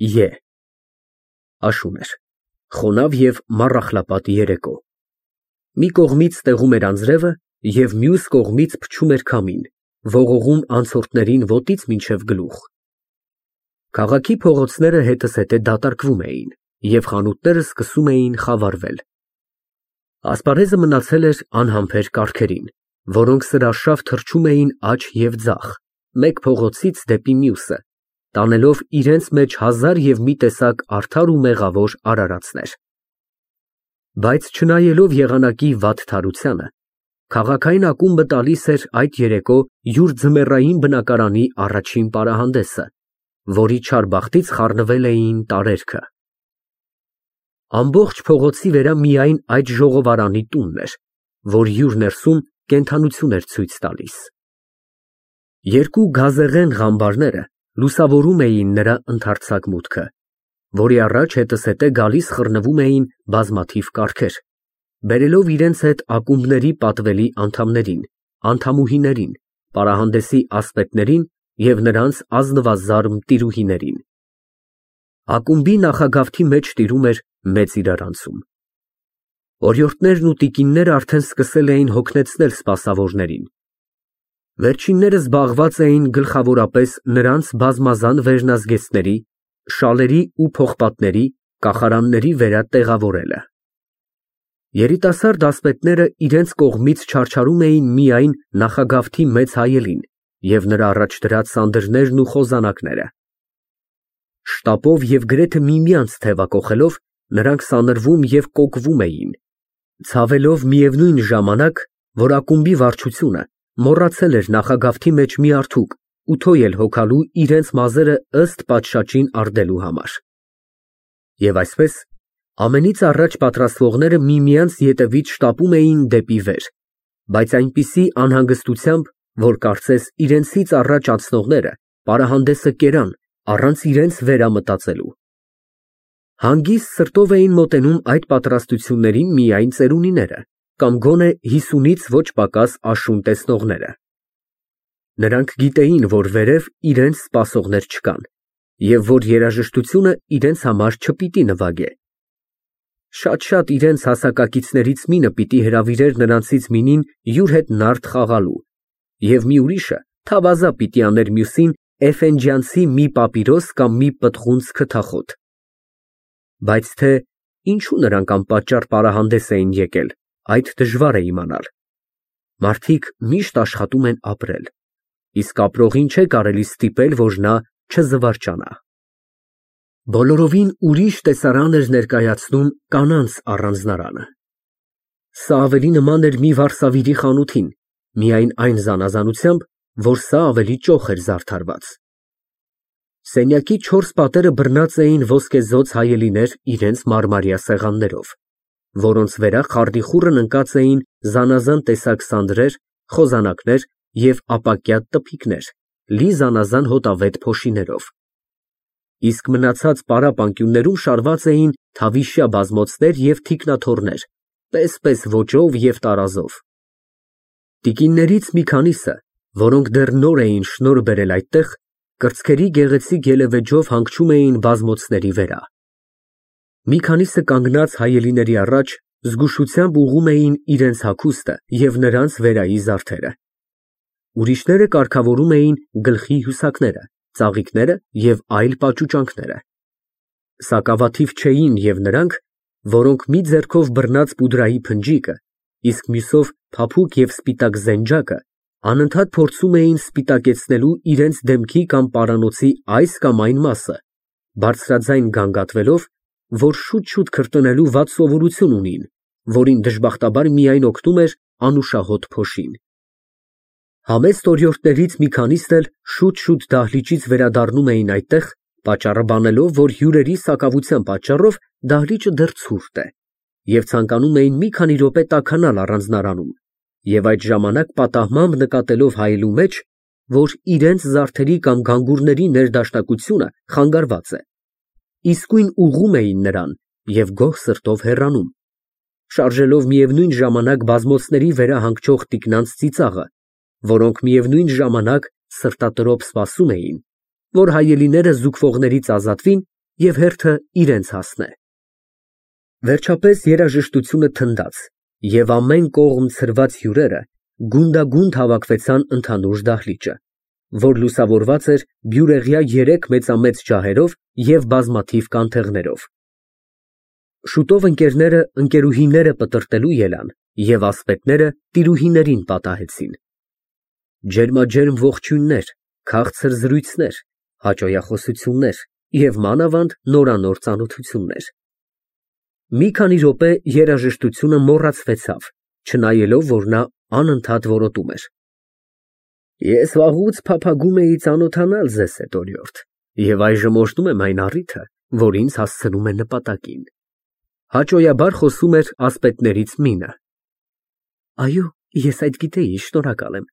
Է աշուն էր, խոնավ և մառախլապատ երեկո։ Մի կողմից տեղում էր անձրևը և մյուս կողմից փչում էր քամին, ողողում անցորդներին ոտից մինչև գլուխ։ Քաղաքի փողոցները հետզհետե դատարկվում էին և խանութները սկսում էին խավարվել։ Ասպարեզը մնացել էր անհամբեր կառքերին, որոնք սրարշավ թռչում էին աջ և ձախ, մեկ փողոցից դեպի մյուսը, տանելով իրենց մեջ հազար և մի տեսակ արդար ու մեղավոր արարածներ։ Բայց չնայելով եղանակի վատթարությանը, քաղաքային ակումբը տալիս էր այդ երեկո յուր ձմեռային բնակարանի առաջին պարահանդեսը, որի չար բախտից խառնվել էին տարերքը։ Ամբողջ փողոցի վրա միայն այդ ժողովարանի տունն էր, որ յուր ներսում կենդանություն էր ցույց տալիս։ Երկու գազեղեն ղամբարները լուսավորում էին նրա ընդարձակ մուտքը, որի առաջ հետզհետե գալիս խռնվում էին բազմաթիվ կառքեր, բերելով իրենց հետ ակումբների պատվելի անդամներին, անդամուհիներին, պարահանդեսի ասպետներին և նրանց ազնվազարմ տիրուհիներին։ Ակումբի նախագավթի մեջ տիրում էր մեծ իրարանցում։ Օրիորդներն ու տիկինները արդեն սկսել էին հոգնեցնել սպասավորներին։ Վերջինները զբաղված էին գլխավորապես նրանց բազմազան վերնազգեստների, շալերի ու փողպատների, կախարանների վրա տեղավորելը։ Երիտասարդ ասպետները իրենց կողմից չարչարում էին միայն նախագավթի մեծ հայելին և նրա առաջ դրած սանդրներն ու խոզանակները։ Շտապով և գրեթե միմյանց թևակոխելով, նրանք սանրվում և կոկվում էին, ցավելով միևնույն ժամանակ, որ ակումբի վարչությունը մոռացել էր նախագավթի մեջ մի արթուկ ու թոյ հոգալու իրենց մազերը ըստ պատշաճին ардելու համար։ Եվ այսպես, ամենից առաջ պատրաստվողները միմյանց ետևից շտապում էին դեպի վեր, բայց այնպիսի անհանգստությամբ, որ կարծես իրենցից առաջ անցնողները պարահանդեսը կերան, առանց իրենց վերամտածելու։ Հանգիստ սրտով էին մոտենում այդ պատրաստություններին միայն ծերունիները կամ գոնե 50-ից ոչ պակաս աշուն տեսնողները։ Նրանք գիտեին, որ վերև իրենց սպասողներ չկան և որ երաժշտությունը իրենց համար չպիտի նվագե։ Շատ-շատ իրենց հասակակիցներից մինը պիտի հրավիրեր նրանցից մինին յուր հետ նարդ խաղալու, և մի ուրիշը թավազա պիտի աներ մյուսին էֆենջյանցի մի պապիրոս կամ մի պտղունց քթախոտ։ Բայց թե ինչու նրանք անպատճառ պարահանդես էին եկել, այդ դժվար է իմանալ։ Մարդիկ միշտ աշխատում են ապրել, իսկ ապրողին չէ կարելի ստիպել, որ նա չզվարճանա։ Բոլորովին ուրիշ տեսարան էր ներկայացնում կանանց առանձնարանը։ Սա ավելի նման էր մի վարսավիրի խանութին, միայն այն զանազանությամբ, որ սա ավելի ճոխ էր զարդարված։ Սենյակի 4 պատերը բռնած էին ոսկեզօծ հայելիներ իրենց մարմարյա սեղաններով, որոնց վրա խառնիխուռն ընկած էին զանազան տեսակ սանդրեր, խոզանակներ և ապակյա տփիկներ, լի զանազան հոտավետ փոշիներով։ Իսկ մնացած պարապ անկյուններում շարված էին թավիշյա բազմոցներ և թիկնաթոռներ, պես-պես ոճով և տարազով։ Տիկիններից մի քանիսը, որոնք դեռ նոր էին շնորհ բերել այդտեղ, կրծքերի գեղեցիկ ելևէջով հանգչում էին բազմոցների վրա։ Մի քանիսը կանգնած հայելիների առաջ զգուշությամբ ուղղում էին իրենց հագուստը և նրանց վերայի զարդերը։ Ուրիշները կարգավորում էին գլխի հյուսակները, ծաղիկները և այլ պաճուճանքները։ Սակավաթիվ չէին և նրանք, որոնք մի ձեռքով բռնած պուդրայի փնջիկը, իսկ մյուսով փափուկ և սպիտակ զենջակը, անընդհատ փորձում էին սպիտակեցնելու իրենց դեմքի կամ պարանոցի այս կամ այն մասը, բարձրաձայն գանգատվելով, որ շուտ-շուտ քրտնելու վատ սովորություն ունին, որին դժբախտաբար միայն օգնում էր անուշահոտ փոշին։ Համեստ օրիորդներից մի քանիսն էլ շուտ-շուտ դահլիճից վերադառնում էին այդտեղ, պատճառը բանելով, որ հյուրերի սակավության պատճառով դահլիճը դեռ ցուրտ է, և ցանկանում էին մի քանի րոպե տաքանալ առանձնարանում և այդ ժամանակ պատահմամբ նկատելով հայելու մեջ, որ իրենց զարդերի կամ գանգուրների ներդաշնակությունը խանգարված է, իսկույն ուղղում էին նրան և գոհ սրտով հեռանում, շարժելով միևնույն ժամանակ բազմոցների վրա հանգչող տիկնանց ծիծաղը, որոնք միևնույն ժամանակ սրտատրոփ սպասում էին, որ հայելիները զուգվողներից ազատվին և հերթը իրենց հասնե։ Վերջապես երաժշտությունը թնդաց, և ամեն կողմ ցրված հյուրերը գունդագունդ հավաքվեցան ընդհանուր դահլիճը, որ լուսավորված էր բյուրեղյա 3 մեծամեծ ջահերով և բազմաթիվ կանթեղներով։ Շուտով ընկերները ընկերուհիները պտրտելու ելան, և ասպետները տիրուհիներին պատահեցին։ Ջերմաջերմ ողջույններ, քաղցր զրույցներ, հաճոյախոսություններ և մանավանդ նորանոր ծանոթություններ։ Մի քանի րոպե երաժշտությունը մոռացվեցավ, չնայելով, որ նա անընդհատ որոտում էր. Ես վաղուց փափագում էի ծանոթանալ ձեզ հետ, օրիորդ, և այժմ օժտում եմ այն առիթը, որ ինձ հասցնում է նպատակին։ Հաճոյաբար խոսում էր ասպետներից մինը։ Այո, ես այդ գիտեի, շնորհակալ եմ։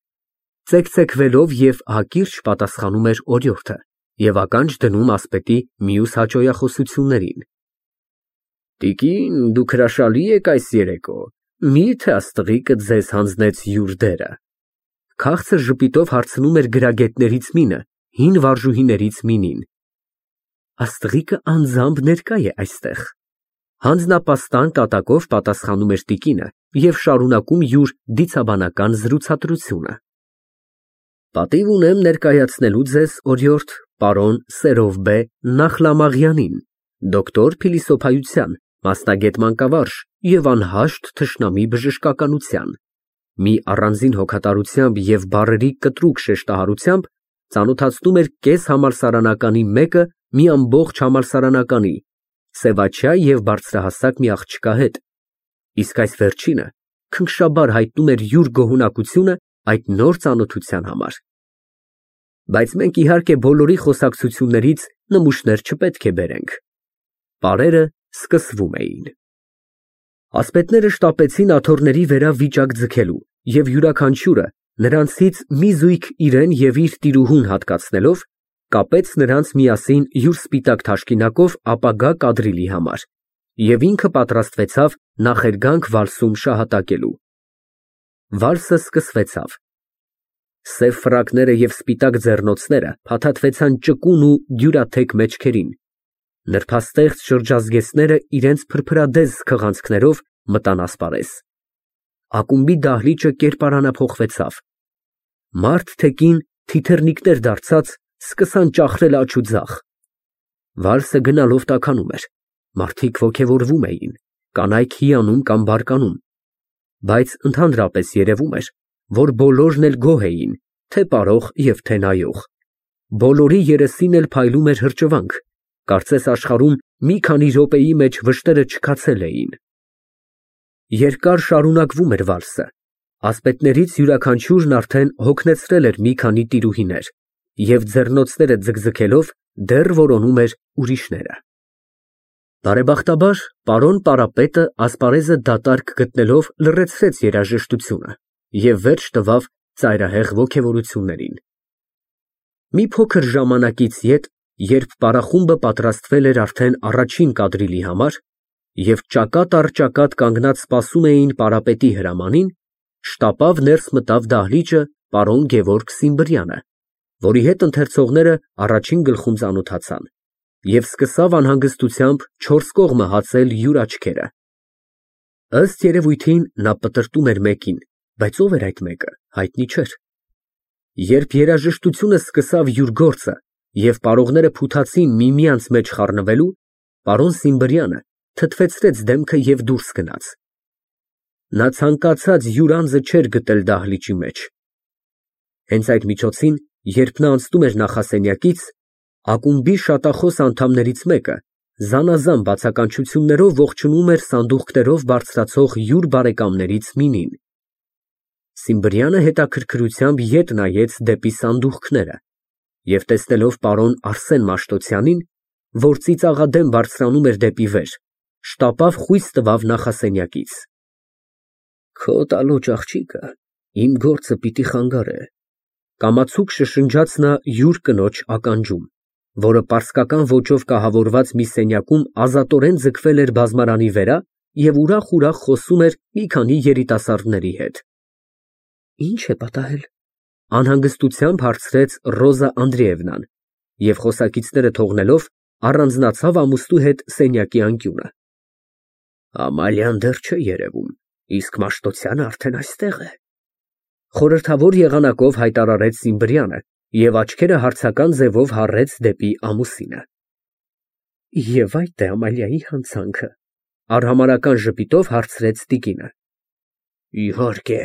Ծեքծեքվելով և հակիրճ պատասխանում էր օրիորդը և ականջ դնում ասպետի մյուս հաճոյախոսություններին։ Տիկին, դուք հրաշալի եք այս երեկո, մի՞թե աստղիկը ձեզ հանձնեց յուր դերը։ Քաղցր ժպիտով հարցնում էր գրագետներից մինը, հին վարժուհիներից մինին։ Աստղիկը անձամբ ներկա է այստեղ։ Հանձնապաստան կատակով պատասխանում էր տիկինը և շարունակում յուր դիցաբանական զրուցատրությունը։ Պատիվ ունեմ ներկայացնելու ձեզ, օրիորդ, պարոն Սերովբե Նախլամաղյանին, դոկտոր փիլիսոփայության, մասնագետ մանկավարժ և անհաշտ թշնամի բժշկականության։ Մի առանձին հոգատարությամբ և բառերի կտրուկ շեշտահարությամբ ծանոթացնում էր կես համալսարանականի մեկը մի ամբողջ համալսարանականի, սևաչյա և բարձրահասակ մի աղջկա հետ, իսկ այս վերջինը քնքշաբար հայտնում էր յուր գոհունակությունը այդ նոր ծանոթության համար։ Բայց մենք իհարկե բոլորի խոսակցություններից նմուշներ չպետք է բերենք։ Պարերը սկսվում էին։ Ասպետները շտապեցին աթոռների վերա վիճակ ձգելու և յուրաքանչյուրը, նրանցից մի զույգ իրեն և իր տիրուհուն հատկացնելով, կապեց նրանց միասին յուր սպիտակ թաշկինակով ապագա կադրիլի համար և ինքը պատրաստվեցավ նախերգանք վալսում շահատակելու։ Վալսը սկսվեցավ։ Սև ֆրակները և սպիտակ ձեռնոցները փաթաթվեցան ճկուն ու դյուրաթեք մեջքերին։ Նրբաստեղծ շրջազգեստները իրենց փրփրադեզ քղանցքներով մտան ասպարեզ։ Ակումբի դահլիճը կերպարանափոխվեցավ։ Մարդ թե կին, թիթեռնիկներ դարձած, սկսան ճախրել աջ ու ձախ։ Վալսը գնալով տաքանում էր, մարդիկ ոգևորվում էին, կանայք հիանում կամ բարկանում, բայց ընդհանրապես երևում էր, որ բոլորն էլ գոհ էին, թե պարող և թե նայող։ Բոլորի երեսին էլ փայլում էր հրճվանք, կարծես աշխարհում մի քանի րոպեի մեջ վշտերը չքացել էին։ Երկար շարունակվում էր վալսը, ասպետներից յուրաքանչյուրն արդեն հոգնեցրել էր մի քանի տիրուհիներ և ձեռնոցները ձգձգելով դեռ որոնում էր ուրիշները։ Բարեբախտաբար, պարոն պարապետը ասպարեզը դատարկ գտնելով լռեցրեց երաժշտությունը և վերջ տվավ ծայրահեղ ոգևորություններին։ Մի փոքր ժամանակից ետ, երբ պարախումբը պատրաստվել էր արդեն առաջին կադրիլի համար և ճակատ առ ճակատ կանգնած սպասում էին պարապետի հրամանին, շտապավ ներս մտավ դահլիճը պարոն Գևորգ Սիմբրյանը, որի հետ ընթերցողները առաջին գլխում ծանոթացան, և սկսավ անհանգստությամբ չորս կողմը հացել յուր աչքերը։ Ըստ երևույթին նա պտրտում էր մեկին, բայց ով էր այդ մեկը, հայտնի չէր։ Երբ երաժշտությունը սկսավ յուր գործը և պարողները փութացին միմյանց մեջ խառնվելու, պարոն Սիմբրյանը թթվեցրեց դեմքը և դուրս գնաց։ Նա ցանկացած յուր անձը չէր գտել դահլիճի մեջ։ Հենց այդ միջոցին, երբ նա անցնում էր նախասենյակից, ակումբի շատախոս անդամներից մեկը զանազան բացականչություններով ողջունում էր սանդուղքներով բարձրացող յուր բարեկամներից մինին։ Սիմբրյանը հետաքրքրությամբ ետ նայեց դեպի սանդուղքները և տեսնելով պարոն Արսեն Մաշտոցյանին, որ ծիծաղադեմ բարձրանում էր դեպի վեր, շտապավ խույս տվավ նախասենյակից։ Քո տալոճ աղջիկը իմ գործը պիտի խանգարե, կամացուկ շշնջաց նա յուր կնոջ ականջում, որը պարսկական ոճով կահավորված մի սենյակում ազատորեն ձգվել էր բազմարանի վրա և ուրախ խոսում էր մի քանի երիտասարդների հետ։ Ի՞նչ է պատահել, անհանգստությամբ հարցրեց Ռոզա Անդրեևնան և խոսակիցները թողնելով առանձնացավ ամուսնու հետ սենյակի անկյունը։ Ամալյան դեռ չէ երևում, իսկ Մաշտոցյանը արդեն այստեղ է։ Խորհրդավոր եղանակով հայտարարեց Սիմբրյանը և աչքերը հարցական ձևով հառեց դեպի ամուսինը։ Եվ այդ է Ամալիայի հանցանքը, արհամարհական ժպիտով հարցրեց տիկինը։ Իհարկե,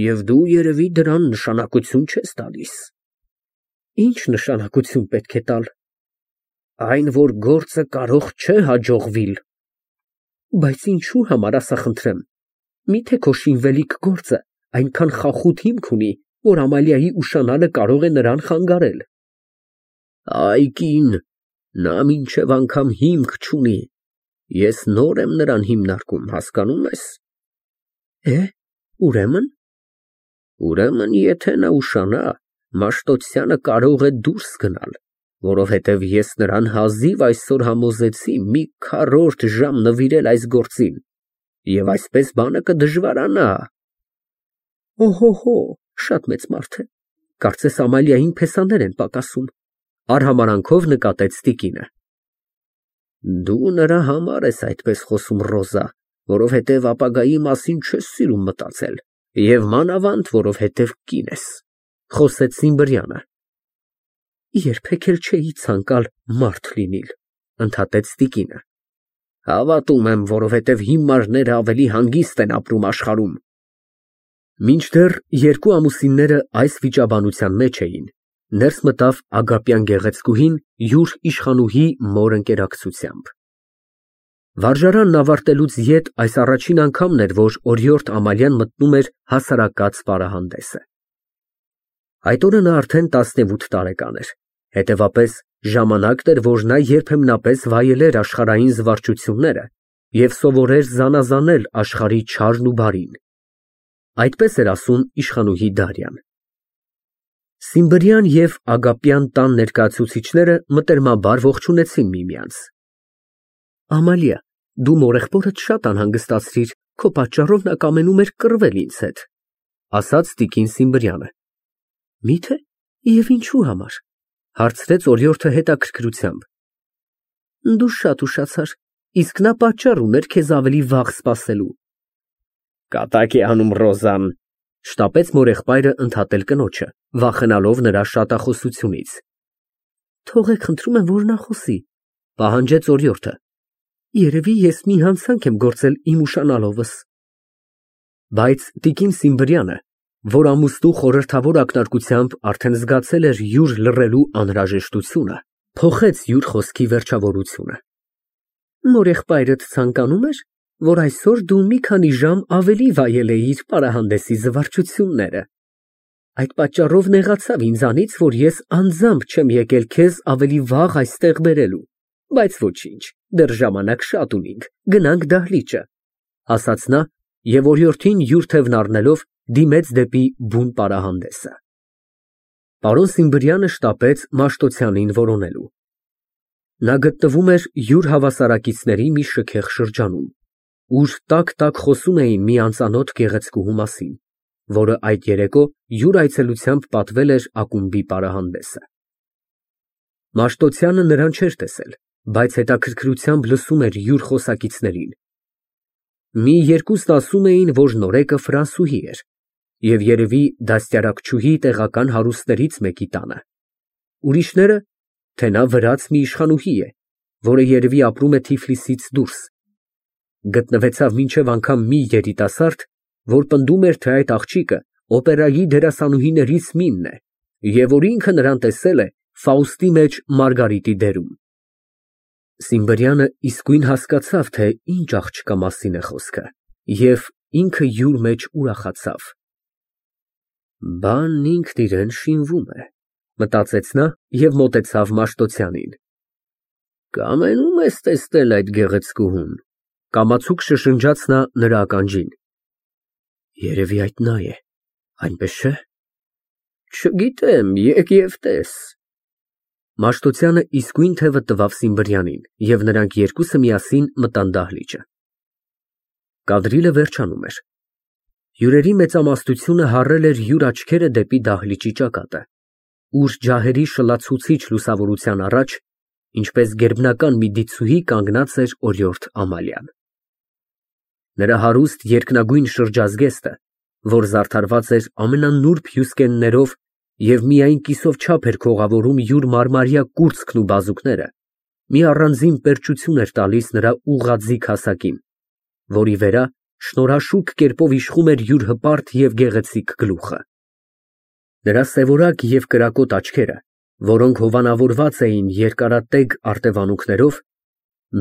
և դու երևի դրան նշանակություն չես տալիս։ Ինչ նշանակություն պետք է տալ։ Այն, որ գործը կարող չէ հաջողվիլ։ Բայց ինչու համար, ասա խնդրեմ, միթե քո շինվելիք գործը այնքան խախուտ հիմք ունի, որ Ամալիայի ուշանալը կարող է նրան խանգարել։ Այ կին, նա մինչև անգամ հիմք չունի, ես նոր եմ նրան հիմնարկում, հասկանում ես։ Ուրեմն։ Ուրեմն, եթե նա ուշանա, Մաշտոցյանը կարող է դուրս գնալ, որովհետև ես նրան հազիվ այսօր համոզեցի մի քառորդ ժամ նվիրել այս գործին, և այսպես բանը կդժվարանա։ Օհո, շատ մեծ մարդ է, կարծես Ամալիային փեսաներ են պակասում, արհամարանքով նկատեց տիկինը։ Դու նրա համար ես այդպես խոսում, Ռոզա, որովհետև ապագայի մասին չես սիրում մտածել, և մանավանդ, որովհետև կին ես, խոսեց Սիմբրյանը։ Երբեք էլ չէի ցանկալ մարդ լինել, ընդհատեց տիկինը։ Հավատում եմ, որովհետև հիմարները ավելի հանգիստ են ապրում աշխարհում։ Մինչդեռ երկու ամուսինները այս վիճաբանության մեջ էին, ներս մտավ Ագապյան գեղեցկուհին յուր իշխանուհի մոր ընկերակցությամբ։ Վարժարանն ավարտելուց ետ այս առաջին անգամն էր, որ օրիորդ Ամալյան մտնում էր հասարակած պարահանդեսը։ Այդ օրը նա արդեն 17 տարեկան էր, հետևապես ժամանակն էր, որ նա երբեմնապես վայելեր աշխարհային զվարճությունները և սովորեր զանազանել աշխարհի չարն ու բարին։ Այդպես էր ասում իշխանուհի Դարյան։ Սիմբրյան և Ագապյան տան ներկայացուցիչները մտերմաբար ողջունեցին միմյանց։ Ամալիա, դու մորեղբորդ շատ անհանգստացրիր, քո պատճառով նա կամենում էր կռվել ինձ հետ, ասաց տիկին Սիմբրյանը։ Միթե, և ինչու համար, հարցրեց օրիորդը հետաքրքրությամբ։ Դու շատ ուշացար, իսկ նա պատճառ ուներ քեզ ավելի վաղ սպասելու։ Կատակ է անում Ռոզան, շտապեց մորեղբայրը ընդհատել կնոջը, վախենալով նրա շատախոսությունից։ Թողեք, խնդրում եմ, որ նա խոսի, պահանջեց օրիորդը։ Երևի ես մի հանցանք եմ գործել իմ ուշանալովս։ Բայց տիկին Սիմբրյանը, որ ամուսնու խորհրդավոր ակնարկությամբ արդեն զգացել էր յուր լռելու անհրաժեշտությունը, փոխեց յուր խոսքի վերջավորությունը։ Մորեղբայրդ ցանկանում էր, որ այսօր դու մի քանի ժամ ավելի վայելեիր պարահանդեսի զվարճությունները։ Այդ պատճառով նեղացավ ինձանից, որ ես անձամբ չեմ եկել քեզ ավելի վաղ այստեղ բերելու, բայց ոչինչ, դեռ ժամանակ շատ ունենք, գնանք դահլիճը, ասաց նա և օրիորդին յուր թևն առնելով դիմեց դեպի բուն պարահանդեսը։ Պարոն Սիմբրյանը շտապեց Մաշտոցյանին որոնելու։ Նա գտնվում էր յուր հավասարակիցների մի շքեղ շրջանում, ուր տակ խոսում էին մի անծանոթ գեղեցկուհու մասին, որը այդ երեկո յուր այցելությամբ պատվել էր ակումբի պարահանդեսը։ Մաշտոցյանը նրան չէր տեսել, բայց հետաքրքրությամբ լսում էր յուր խոսակիցներին։ Մի երկուսն ասում էին, որ նորեկը ֆրանսուհի էր և երևի դաստիարակչուհի տեղական հարուստներից մեկի տանը։ Ուրիշները, թե նա վրաց մի իշխանուհի է, որը երևի ապրում է Թիֆլիսից դուրս։ Գտնվեցավ մինչև անգամ մի երիտասարդ, որ պնդում էր, թե այդ աղջիկը օպերայի դերասանուհիներից մինն է և որ ինքը նրան տեսել է Ֆաուստի մեջ Մարգարիտի դերում։ Սիմբրյանը իսկույն հասկացավ, թե ինչ աղջկա մասին է խոսքը, և ինքը յուր մեջ ուրախացավ։ Բանն ինքն իրեն շինվում է, մտածեց նա և մոտեցավ Մաշտոցյանին։ Կամենում ես տեսնել այդ գեղեցկուհուն, կամացուկ շշնջաց նա նրա ականջին։ Երևի այդ նա է, այնպես չէ։ Չգիտեմ, եկ և տես։ Մաշտոցյանը իսկույն թևը տվավ Սիմբրյանին, և նրանք երկուսը միասին մտան դահլիճը։ Կադրիլը վերջանում էր։ Հյուրերի մեծամասնությունը հառել էր յուր աչքերը դեպի դահլիճի ճակատը, ուր ջահերի շլացուցիչ լուսավորության առաջ ինչպես գերբնական մի դիցուհի կանգնած էր օրիորդ Ամալիան։ Նրա հարուստ երկնագույն շրջազգեստը, որ զարդարված էր ամենանուրբ հյուսկեններով և միայն կիսով չափ էր քողավորում յուր մարմարյա կուրծքն ու բազուկները, մի առանձին պերճություն էր տալիս նրա ուղղաձիգ հասակին, որի վրա շնորհաշուք կերպով իշխում էր յուր հպարտ և գեղեցիկ գլուխը։ Նրա սևորակ և կրակոտ աչքերը, որոնք հովանավորված էին երկարատեգ արտևանունքներով,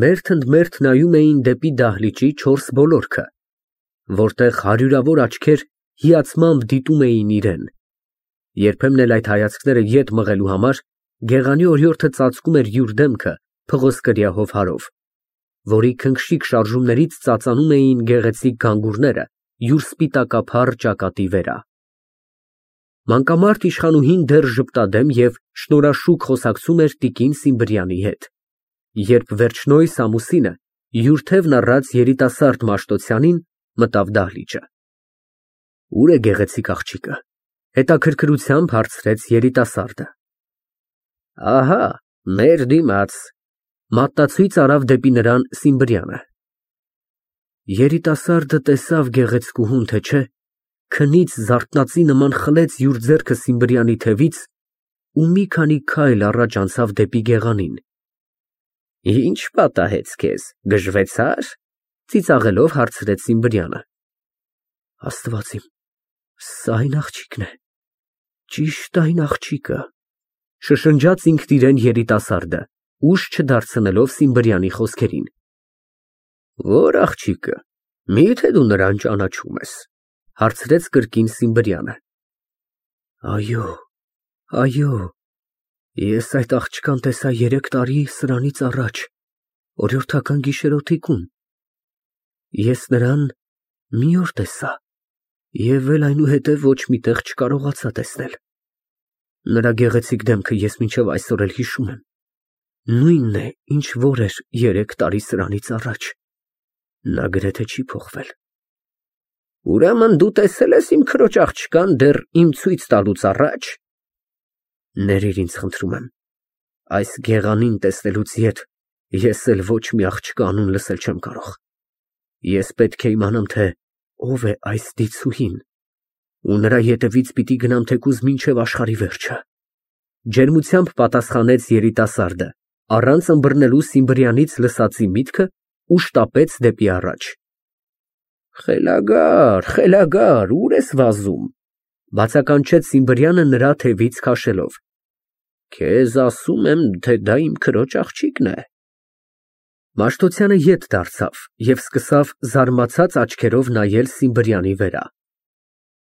մերթ նայում էին դեպի դահլիճի 4 ոլորտը, որտեղ հարյուրավոր աչքեր հիացմամբ դիտում էին իրան։ Երբեմն էլ այդ հայացքները ետ մղելու համար գեղանի օրիորդը ծածկում էր յուր դեմքը փղոսկրյա հովհարով, որի քնքշիկ շարժումներից ծածանում էին գեղեցիկ գանգուրները յուր սպիտակափառ ճակատի վրա։ Մանկամարտ իշխանուհին դեռ ժպտադեմ և շնորհաշուք խոսակցում էր տիկին Սիմբրյանի հետ, երբ վերջնոյս ամուսինը յուր թևն առած երիտասարդ Մաշտոցյանին մտավ դահլիճը։ Ո՞ւր է գեղեցիկ աղջիկը, հետաքրքրությամբ հարցրեց երիտասարդը։ Ահա, մեր դիմաց, մատնացույց արավ դեպի նրան Սիմբրյանը։ Երիտասարդը տեսավ գեղեցկուհուն, թե չէ, քնից զարթնածի նման խլեց յուր ձեռքը Սիմբրյանի թևից ու մի քանի քայլ առաջ անցավ դեպի գեղանին։ Ինչ պատահեց քեզ, գժվեցա՞ր, ծիծաղելով հարցրեց Սիմբրյանը։ Աստված իմ, սա այն աղջիկն է, ճիշտ այն աղջիկը, շշնջաց ինքն իրեն երիտասարդը, ուշ չդարձնելով Սիմբրյանի խոսքերին։ Ո՞ր աղջիկը, միթե դու նրան ճանաչում ես, հարցրեց կրկին Սիմբրյանը։ Այո, ես այդ աղջկան տեսա 3 տարի սրանից առաջ, օրիորդական գիշերօթիկում։ Ես նրան մի օր տեսա և էլ այնուհետև ոչ մի տեղ չկարողացա տեսնել։ Նրա գեղեցիկ դեմքը ես մինչև այսօր էլ հիշում եմ, նույնն է, ինչ որ էր 3 տարի սրանից առաջ, նա գրեթե չի փոխվել։ Ուրեմն դու տեսել ես իմ քրոջ աղջկան դեռ իմ ցույց տալուց առաջ։ Ներիր ինձ, խնդրում եմ, այս գեղանին տեսնելուց ետ ես էլ ոչ մի աղջկա անուն լսել չեմ կարող։ Ես պետք է իմանամ, թե ով է այս դիցուհին, ու նրա ետևից պիտի գնամ թեկուզ մինչև աշխարհի վերջը, ջերմությամբ պատասխանեց երիտասարդը, առանց ըմբռնելու Սիմբրյանից լսածի միտքը ու շտապեց դեպի առաջ։ Խելագար, ուր ես վազում, բացականչեց Սիմբրյանը նրա թևից քաշելով։ Քեզ ասում եմ, թե դա իմ քրոջ աղջիկն է։ Մաշտոցյանը ետ դարձավ և սկսավ զարմացած աչքերով նայել Սիմբրյանի վրա։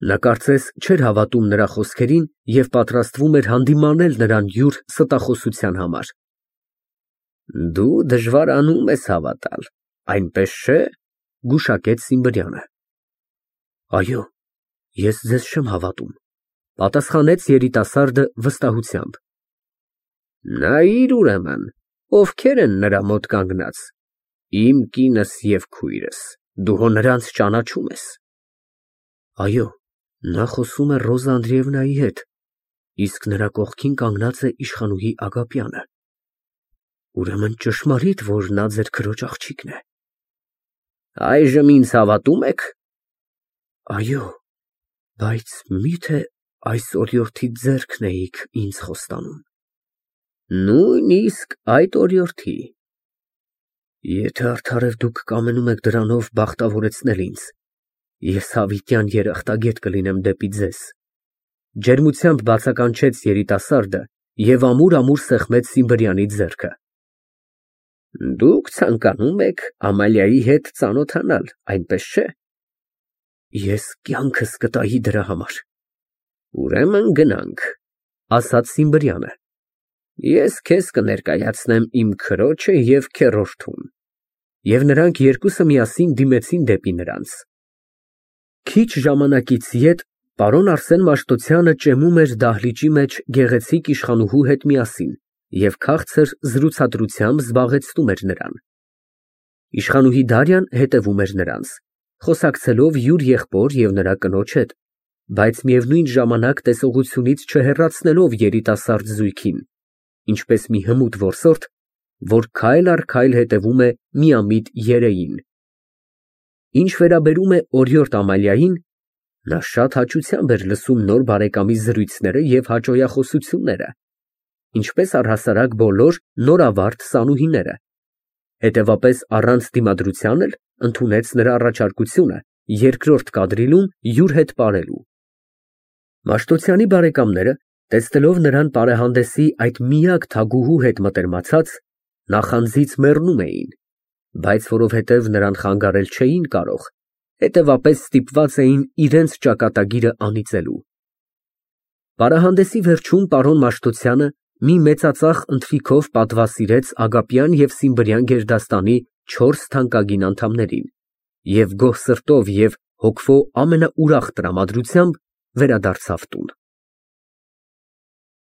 Նա կարծես չէր հավատում նրա խոսքերին և պատրաստվում էր հանդիմանել նրան յուր ստախոսության համար։ Դու դժվարանում ես հավատալ, այնպես չէ՞, գուշակեց Սիմբրյանը։ Այո, ես ձեզ չեմ հավատում, պատասխանեց երիտասարդը վստահությամբ։ Նայիր ուրեմն, ովքեր են նրա մոտ կանգնած, իմ կինս և քույրս, դու հո նրանց ճանաչում ես։ Այո, նա խոսում է Ռոզա Անդրեևնայի հետ, իսկ նրա կողքին կանգնած է իշխանուհի Ագապյանը։ Ուրեմն ճշմարիտ, որ նա ձեր քրոջ աղջիկն է։ Այժմ ինձ հավատո՞ւմ եք։ Այո, բայց միթե այս օրիորդի ձեռքն էիք ինձ խոստանում։ Նույնիսկ այդ օրիորդի։ Եթե արդարև դուք կամենում եք դրանով բախտավորեցնել ինձ, ես հավիտյան երախտագետ կլինեմ դեպի ձեզ, ջերմությամբ բացականչեց երիտասարդը և ամուր սեղմեց Սիմբրյանի ձեռքը։ Դուք ցանկանում եք Ամալիայի հետ ծանոթանալ, այնպես չէ։ Ես կյանքս կտայի դրա համար։ Ուրեմն գնանք, ասաց Սիմբրյանը։ Ես քեզ կներկայացնեմ իմ քրոջը և քեռորդուն։ Եվ նրանք երկուսը միասին դիմեցին դեպի նրանց։ Քիչ ժամանակից ետ պարոն Արսեն Մաշտոցյանը ճեմում էր դահլիճի մեջ գեղեցիկ իշխանուհու հետ միասին և քաղցր զրուցակցությամբ զբաղեցնում էր նրան։ Իշխանուհի Դարյան հետևում էր նրանց, խոսակցելով յուր եղբոր և նրա կնոջ հետ, բայց միևնույն ժամանակ տեսողությունից չհեռացնելով երիտասարդ զույգին, ինչպես մի հմուտ որսորդ, որ քայլ առ քայլ հետևում է միամիտ երեին։ Ինչ վերաբերում է օրիորդ Ամալիային, նա շատ հաճությամբ էր լսում նոր բարեկամի զրույցները և հաճոյախոսությունները, ինչպես առհասարակ բոլոր նորավարտ սանուհիները, հետևապես առանց դիմադրության էլ ընդունեց նրա առաջարկությունը երկրորդ կադրիլում յուր հետ պարելու։ Մաշտոցյանի բարեկամները, տեսնելով նրան պարեհանդեսի այդ միակ թագուհու հետ մտերմացած, նախանձից մեռնում էին, բայց որովհետև նրան խանգարել չէին կարող, հետևապես ստիպված էին իրենց ճակատագիրը անիծելու։ Պարահանդեսի վերջում պարոն Մաշտոցյանը մի մեծածախ ընթրիքով պատվասիրեց Ագապյան և Սիմբրյան գերդաստանի 4 թանկագին անդամներին և գոհ սրտով և հոգվո ամենաուրախ տրամադրությամբ վերադարձավ տուն։